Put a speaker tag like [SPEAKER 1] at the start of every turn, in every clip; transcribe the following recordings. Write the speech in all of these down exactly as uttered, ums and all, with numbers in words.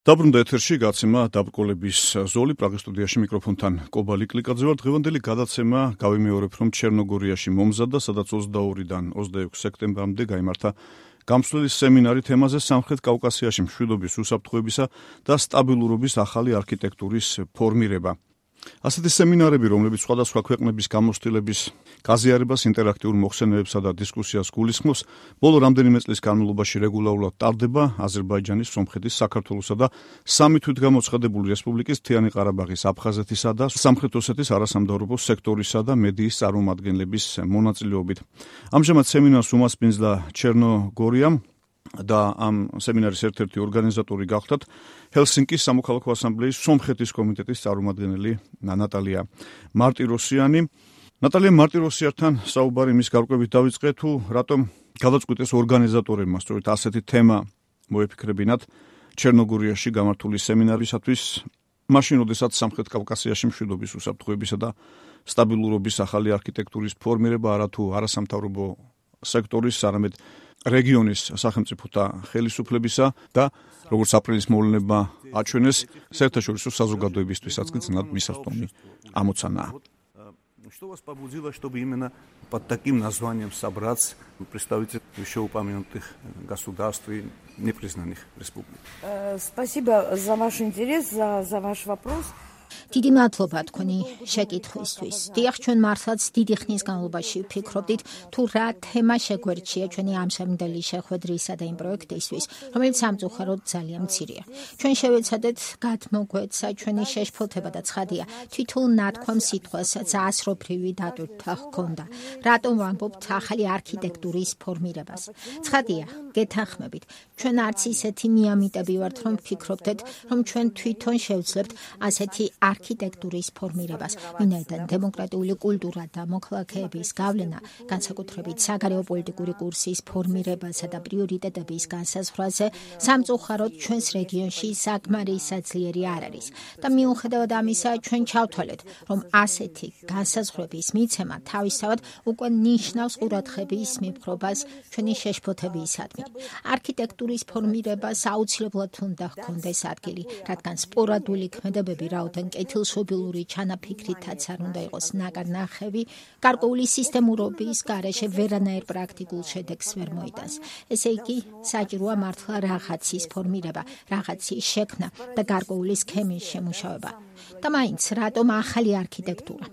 [SPEAKER 1] დაბრუნდა ეთერში გაცემა დაბრკოლების ზოლი პრაღის სტუდიაში მიკროფონთან კობალი კლიკაძე ვარ. დღევანდელი გადაცემა გავიმეორებ, რომ ჩერნოგორიაში მომზადდა, სადაც ოცდაორიდან ოცდაექვსი სექტემბრამდე გაიმართა გამსვლელი სემინარი თემაზე სამხრეთ კავკასიაში მშვიდობის უსაფრთხოებისა და სტაბილურობის ახალი არქიტექტურის ფორმირება. ასეთი სემინარები, რომლებიც სხვადასხვა ქვეყნების გამოცდილების გაზიარებას, ინტერაქტიულ მოხსენებებსა და დისკუსიას გულისხმობს, ბოლო რამდენიმე წლის განმავლობაში რეგულარულად ტარდება აზერბაიჯანის, სომხეთის, საქართველოსა და სამი თვითგამოცხადებული რესპუბლიკის მთიანი ყარაბაღის, აფხაზეთისა და სამხრეთ ოსეთის არასამთავრობო სექტორისა და მედიის წარმომადგენლების მონაწილეობით. ამჟამად სემინარს უმასპინძლა ჩერნოგორიამ და ამ სემინარის ერთ-ერთი ორგანიზატორი გახდათ ჰელსინკის სამოქალაქო ასამბლეის სომხეთის კომიტეტის წარმომადგენელი ნატალია მარტიროსიანი. ნატალია მარტიროსიანთან საუბარი მის გარკვევით დავიწყე, თუ რატომ გადაწყვიტეს ორგანიზატორებმა სწორედ ასეთი თემა მოეფიქრებინათ ჩერნოგორიაში გამართული სემინარისათვის, მაშინ როდესაც სამხრეთ კავკასიაში მშვიდობის უსაფრთხოებისა და სტაბილურობის ახალი არქიტექტურის ფორმირება არა თუ არასამთავრობო სექტორის, არამედ რეგიონის სახელმწიფოთა ხელისუფლებისა და როგორც აპრილის მოვლენებმა აჩვენეს, საერთაშორისო საზოგადოებისთვისაც კი ძნად მისასტომი ამოცანაა.
[SPEAKER 2] Что вас побудило, чтобы именно под таким названием собраться представители вышеупомянутых государств и непризнанных республик?
[SPEAKER 3] Спасибо за ваш интерес, за, за ваш вопрос.
[SPEAKER 4] დიდი მადლობა თქვენი შეკითხვისთვის. დიახ, ჩვენ მართლაც დიდი ხნის განმავლობაში ვფიქრობდით, თუ რა თემა შეგვერჩია ჩვენი ამჟამინდელი შეხვედრისა და იმ პროექტისთვის, რომელიც სამწუხაროდ ძალიან მცირეა. ჩვენ შევეცადეთ გადმოგვეცა ჩვენი შეშფოთება და ცხადია, თითოეულ ნათქვამ სიტყვასაც ასროფრივი დატვირთვა ჰქონდა. რატომ ვამბობთ ახალი არქიტექტურის ფორმირებას? ცხადია, გეთანხმებით, ჩვენ არც ისეთი მიამიტები ვართ, რომ ვფიქრობდეთ, რომ ჩვენ თვითონ შევძლებთ ასეთი არქიტექტურის ფორმირებას, ვინაიდან დემოკრატიული კულტურა და მოქალაქეების გავლენა, განსაკუთრებით საგარეო პოლიტიკური კურსის ფორმირებასა და პრიორიტეტების განსაზღვრაზე, სამწუხაროდ ჩვენს რეგიონში საკმარისაძლიერი არ არის. და მიუხედავად ამისა, ჩვენ ჩავთვალეთ, რომ ასეთი განსაზღვრების მიცემა თავისთავად უკვე ნიშნავს ყურადღების მიფრობას ჩვენი შეშფოთებისადმი. არქიტექტურის ფორმირებას აუცილებლად უნდა ჰქონდეს ადგილი, რადგან სპორადული ქმედებები რაოდენ კეთილშობილური ჩანაფიქრითაც არ უნდა იყოს ნაკარნახევი, გარკვეული სისტემურობის გარეშე ვერანაირ პრაქტიკულ შედეგს ვერ მოიტანს. ესე იგი, საჭიროა მართლა რაღაცის ფორმირება, რაღაცის შექმნა და გარკვეული სქემის შემუშავება. და მაინც, რატომ ახალი არქიტექტურა?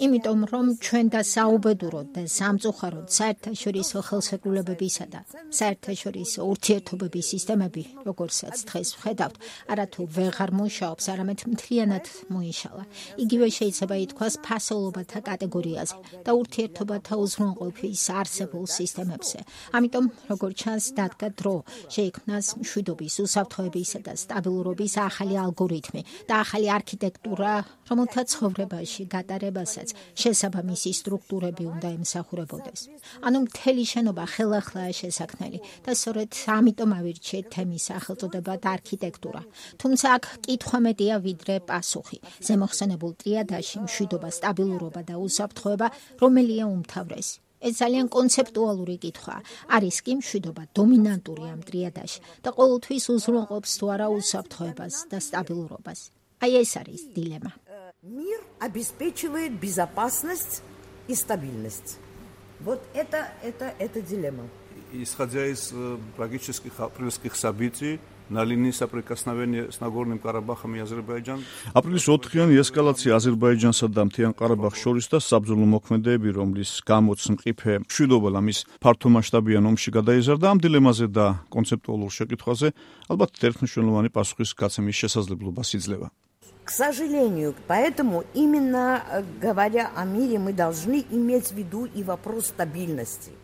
[SPEAKER 4] იმიტომ, რომ ჩვენ და საუბედუროდ და სამწუხაროდ საერთაშორისო ხელშეკრულებებისა და საერთაშორისო ურთიერთობების სისტემები, როგორცაც დღეს ვხედავთ, არათუ ვეღარ მუშაობს, არამედ მთლიანად მოიშალა. იგივე შეიძლება ითქვას ფასეულობათა კატეგორიაზე და ურთიერთობათა უზრუნველყოფის არსებულ სისტემებზე. ამიტომ, როგორც ჩანს, დადგა დრო შეიქმნას მშვიდობის, უსაფრთხოებისა და სტაბილურობის ახალი ალგორითმი და ახალი არქიტექტურა, რომელთა ცხოვრებაში გატარებასაც შესაბამისი სტრუქტურები უნდა ემსახურებოდეს. ანუ მთელი შენობა ხელახლაა შესაქმნელი და სწორედ ამიტომ ავირჩიეთ თემის სახელწოდებად არქიტექტურა. თუმცა აქ კითხვა მეტია ვიდრე პასუხი. ზემოხსენებულ ტრიადაში მშვიდობა, სტაბილურობა და უსაფრთხოება რომელია უმთავრესი? ეს ძალიან კონცეპტუალური კითხვაა. არის კი მშვიდობა დომინანტური ამ ტრიადაში და ყოველთვის უზრუნველყოფს თუ არა უსაფრთხოებას და სტაბილურობას? აი ეს არის დილემა.
[SPEAKER 3] Мир обеспечивает безопасность и стабильность. Вот это, это, это дилемма.
[SPEAKER 2] Исходя из трагических апрельских событий, на линии соприкосновения с Нагорным Карабахом и Азербайджан.
[SPEAKER 1] აპრილის ოთხიანი ესკალაცია აზერბაიჯანსა და მთიან ყარაბაღს შორის და საბრძოლო მოქმედებები, რომლის გამოც მყიფე მშვიდობა მის ფართომასშტაბიან ომში გადაიზარდა, ამ დილემაზე და კონცეპტუალურ შეკითხვაზე ალბათ ერთმნიშვნელოვანი პასუხის გაცემის შესაძლებლობას იძლევა.
[SPEAKER 3] К сожалению, поэтому именно говоря о мире, мы должны иметь в виду и вопрос стабильности.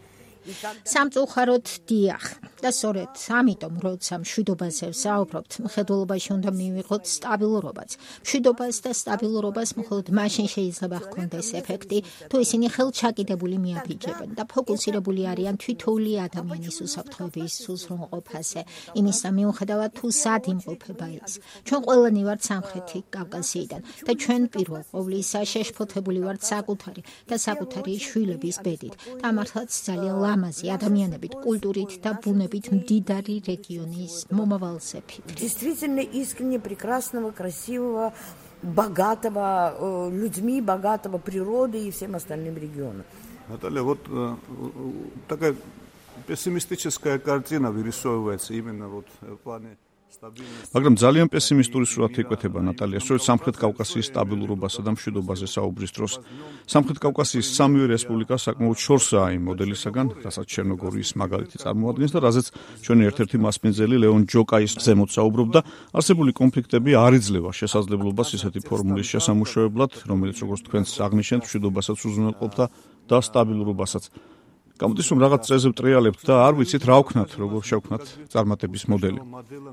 [SPEAKER 4] სამწუხაროდ დიახ და სწორედ ამიტომ როცა მშვიდობაზე ვსაუბრობთ, მხედველობაში უნდა მივიღოთ სტაბილურობაც. მშვიდობას და სტაბილურობას მხოლოდ მაშინ შეიძლება ჰქონდეს ეფექტი, თუ ისინი ხელჩაკიდებული მიაფიჯებენ და ფოკუსირებული არიან თითოეული ადამიანის უსაფრთხოების უზრუნველყოფაზე, იმისა მიუხედავად თუ სად იმყოფება ის. ჩვენ ყველანი ვართ სამხრეთი კავკასიიდან და ჩვენ პირველ ყოვლისა შეშფოთებული ვართ საკუთარი და საკუთარი შვილების ბედით და მართლაც ძალიან ლამაზი ადამიანებით, культурით და ბუნებით მდიდარი რეგიონის მომავალზე ფიქრობ.
[SPEAKER 3] Действительно искренне прекрасного, красивого, богатого людьми, богатого природой и всем остальным регионом.
[SPEAKER 2] Наталья, вот такая пессимистическая картина вырисовывается именно вот в плане
[SPEAKER 1] მაგრამ ძალიან პესიმისტური სურათი იკვეთება ნატალია, სწორედ სამხრეთ კავკასიის სტაბილურობასა და მშვიდობაზე საუბრის დროს. სამხრეთ კავკასიის სამივე რესპუბლიკა საკმაოდ შორსაა იმ მოდელისაგან, რასაც ჩერნოგორიის მაგალითი წარმოადგენს და რაზეც ჩვენი ერთ-ერთი მასპინძელი ლეონ ჯოკაის ზემოთ საუბრობდა, არსებული კონფლიქტები არ იძლევა შესაძლებლობას ისეთი ფორმულის შესამუშავებლად, რომელიც როგორც თქვენს აღნიშნეთ, მშვიდობასაც უზრუნველყოფდა და სტაბილურობასაც. გამოდის რომ რაღაც წეზე ვტრიალებთ და არ ვიცით რა ვქნათ, როგორ შევქნათ წარმატების მოდელი.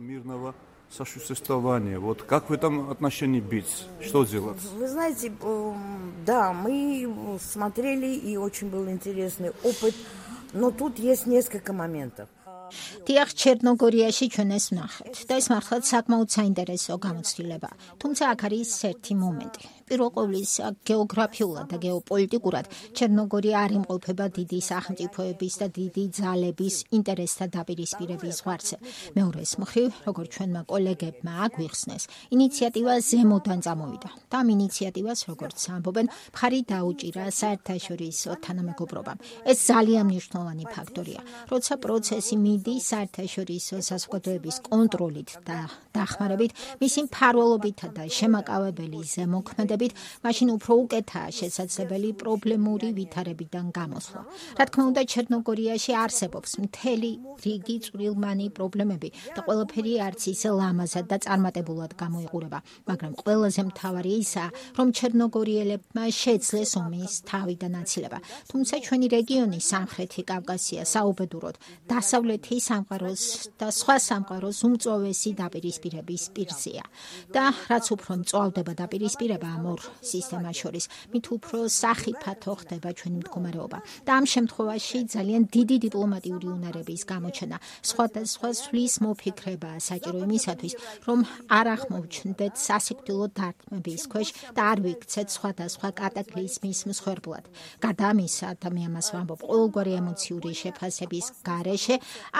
[SPEAKER 2] мирного сосуществования. Вот как в этом отношении быть? Что делать?
[SPEAKER 3] Вы знаете, да, мы смотрели и очень был интересный опыт, но тут есть несколько моментов.
[SPEAKER 4] Դիախ Չեռնոգորიაში ჩვენ ეს ვნახეთ და ეს მართლაც საკმაოდ საინტერესო გამოცდილება. Თუმცა აქ არის ერთი მომენტი. პირველ ყოვლის გეოგრაფიულად და გეოპოლიტიკურად ჩერნოგორია არ იმყოფება დიდი სახელმწიფოების და დიდი ძალების ინტერესთა დაპირისპირების ზღვარზე. მეორეს მხრივ, როგორც ჩვენმა კოლეგებმა აგვიხსნეს, ინიციატივა ზემოდან წამოვიდა და ამ ინიციატივას, როგორც ამბობენ, მხარი დაუჭირა საერთაშორისო თანამეგობრობამ. ეს ძალიან მნიშვნელოვანი ფაქტორია, როცა პროცესი მიდის საერთაშორისო საზოგადოების კონტროლით და დახმარებით, მისი მფარველობითა და შემაკავებელი ზემოქმედებით, მაშინ უფრო უკეთაა შესაძლებელი პრობლემური ვითარებიდან გამოსვლა. რა თქმა უნდა, ჩერნოგორიაში არსებობს მთელი რიგი წვრილმანი პრობლემები და ყველაფერი არც ისე ლამაზად და წარმატებულად გამოიყურება, მაგრამ ყველაზე მთავარი ისაა, რომ ჩერნოგორიელებმა შეძლეს ომის თავიდან აცილება. თუმცა ჩვენი რეგიონი სამხრეთი კავკასია საუბედუროდ დასავლეთი სამყაროს და სხვა სამყაროს უმწვავესი დაპირისპირების პირზეა. და რაც უფრო მწვავდება დაპირისპირება ამ ორ სისტემას შორის, მით უფრო სახიფათო ხდება ჩვენი მდგომარეობა. და ამ შემთხვევაში ძალიან დიდი დიპლომატიური უნარების გამოჩენა, სხვადასხვა სვლის მოფიქრება საჭირო იმისათვის, რომ არ აღმოჩნდეთ სასიკვდილო დარტყმების ქვეშ და არ ვიქცეთ სხვადასხვა კატაკლიზმის მსხვერპლად. გარდა ამისა, და მე ამას ვამბობ, ყოველგვარი ემოციური შეფასების გარეშე,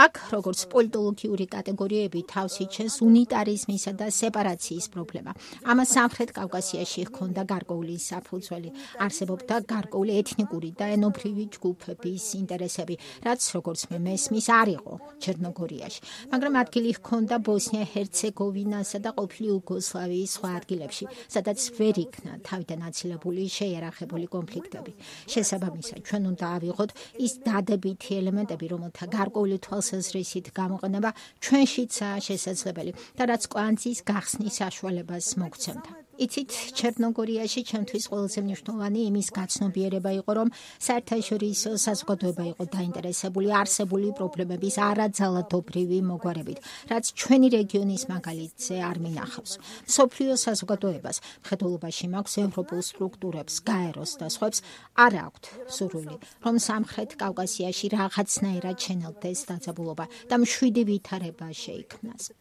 [SPEAKER 4] აქ როგორც პოლიტოლოგიური კატეგორიები თავს იჩენს უნიტარიზმისა და სეპარაციის პრობლემა. ამას სამხრეთ კავკასიაში ჰქონდა გარკვეული საფუძველი, არსებობდა გარკვეული ეთნიკური და ენობრივი ჯგუფების ინტერესები, რაც როგორც მე მესმის არ იყო ჩერნოგორიაში, მაგრამ ადგილი ჰქონდა ბოსნია-ჰერცეგოვინასა და ყოფილი იუგოსლავიის სხვა ადგილებში, სადაც ვერ იქნა თავიდან აცილებული შეიარაღებული კონფლიქტები. შესაბამისად, ჩვენ უნდა ავიღოთ ის დადებითი ელემენტები, რომელთა გარკვეული თვალსაზრისით გამოყენება ჩვენშიცაა შესაძლებელი და რაც კვანძის გახსნის საშუალებას მოგცემდა. იცით, ჩერნოგორიაში ჩემთვის ყველაზე მნიშვნელოვანი იმის გაცნობიერება იყო, რომ საერთაშორისო საზოგადოება იყო დაინტერესებული არსებული პრობლემების არაძალადობრივი მოგვარებით, რაც ჩვენი რეგიონის მაგალითზე არ მინახავს. მსოფლიო საზოგადოებას, მხედველობაში მაქვს ევროპულ სტრუქტურებს, გაეროს და სხვებს არ აქვთ სურვილი, რომ სამხრეთ კავკასიაში რაღაცნაირად შენელდეს დაძაბულობა და მშვიდი ვითარება შეიქმნას.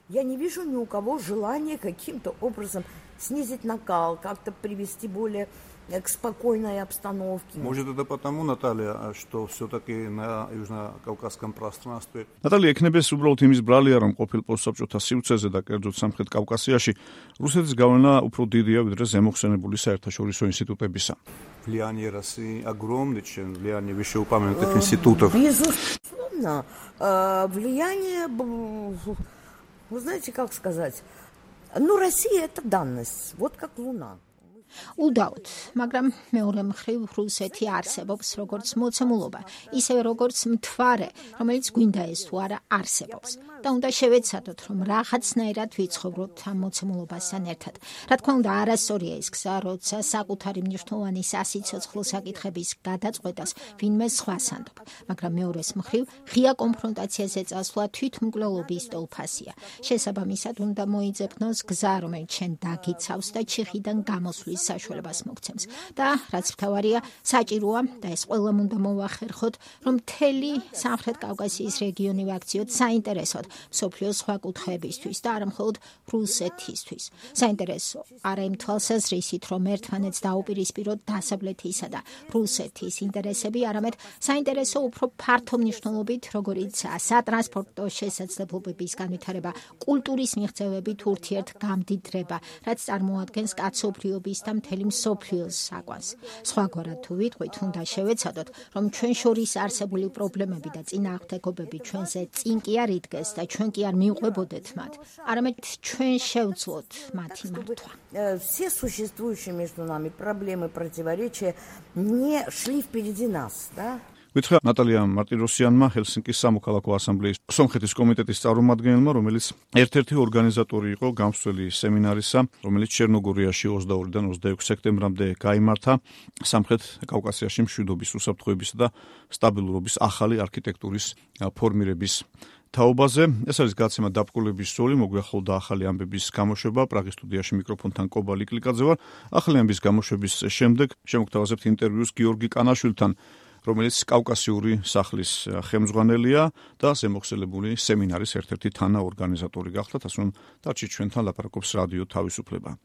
[SPEAKER 3] Я не вижу ни у кого желания каким-то образом снизить накал, как-то привести более к спокойной обстановке.
[SPEAKER 2] Может, это потому, Наталья, что все-таки на южно-кавказском пространстве...
[SPEAKER 1] Наталья, ეკნებეს უბრალოდ იმის ბრალია, რომ ყოფილ პოსტსაბჭოთა სივრცეზე და კერძოდ სამხრეთ კავკასიაში რუსეთის გავლენა უფრო დიდია, ვიდრე ზემოხსენებული საერთაშორისო ინსტიტუტებისა.
[SPEAKER 2] Влияние России огромное, чем влияние вышеупомянутых институтов.
[SPEAKER 3] Безусловно, влияние... Вы знаете, как сказать? Ну, Россия – это данность, вот как Луна.
[SPEAKER 4] უდაოდ, მაგრამ მეორე მხრივ რუსეთი არსებობს როგორც მოცემულობა, ისევე როგორც მთვარე, რომელიც გვინდა ეს თუ არა არსებობს. და უნდა შევეცადოთ, რომ რაღაცნაირად ვიცხოვროთ ამ მოცემულობასთან ერთად. რა თქმა უნდა, არასწორია ის გზა, როცა საკუთარი მნიშვნელოვანი სასიცოცხლო საკითხების გადაწყვეტას ვინმე სხვას ანდობ, მაგრამ მეორეს მხრივ ღია კონფრონტაციაზე წასვლა თვითმკვლელობის ტოლფასია. შესაბამისად, უნდა მოიძებნოს გზა, რომელიც შენ დაგიცავს და ჩიხიდან გამოსვლის საშუალებას მოგცემს. და რაც მთავარია, საჭიროა და ეს ყველამ უნდა მოვახერხოთ, რომ მთელი სამხრეთ კავკასიის რეგიონი ვაქციოთ საინტერესოდ მსოფლიოს სხვა კუთხეებისთვის და არა მხოლოდ რუსეთისთვის. საინტერესო არა იმ თვალსაზრისით, რომ ერთმანეთს დაუპირისპიროთ დასავლეთისა და რუსეთის ინტერესები, არამედ საინტერესო უფრო ფართო მნიშვნელობით, როგორიც სატრანსპორტო შესაძლებლობების განვითარება, კულტურის მიღწევებით ურთიერთგამდიდრება, რაც წარმოადგენს კაცობრიობის და მთელი მსოფლიოს საკვანს. სხვაგვარად თუ ვიტყვით, უნდა შევეცადოთ, რომ ჩვენ შორის არსებული პრობლემები და წინააღმდეგობები ჩვენზე წინ კი არ იდგეს და ჩვენ კი არ მივყვებოდეთ მათ, არამედ ჩვენ შევძლოთ მათი მართვა.
[SPEAKER 3] Все существующие между нами проблемы, противоречия не шли впереди нас, да?
[SPEAKER 1] გითხრა ნატალია მარტიროსიანმა, ჰელსინკის სამოქალაქო ასამბლეის სომხეთის კომიტეტის წარმომადგენელმა, რომელიც ერთ-ერთი ორგანიზატორი იყო გამსვლელი სემინარისა, რომელიც ჩერნოგორიაში ოცდაორიდან ოცდაექვსი სექტემბრამდე გაიმართა სამხრეთ კავკასიაში მშვიდობის, უსაფრთხოებისა და სტაბილურობის ახალი არქიტექტურის ფორმირების თაობაზე. ეს არის გაცემა დაბკოლების ზოლი, მოგვიახლოვდა ახალი ამბების გამოშვება. პრაღის სტუდიაში მიკროფონთან კობა ლიკლიკაძე ვარ. ახალი ამბების გამოშვების შემდეგ შემოგთავაზებთ ინტერვიუს გიორგი კანაშვილთან, რომელიც კავკასიური სახლის ხელმძღვანელია და ზემოხსენებული სემინარის ერთ-ერთი თანაორგანიზატორი გახლდათ, ასე რომ დარჩით ჩვენთან, ლაპარაკობს რადიო თავისუფლება.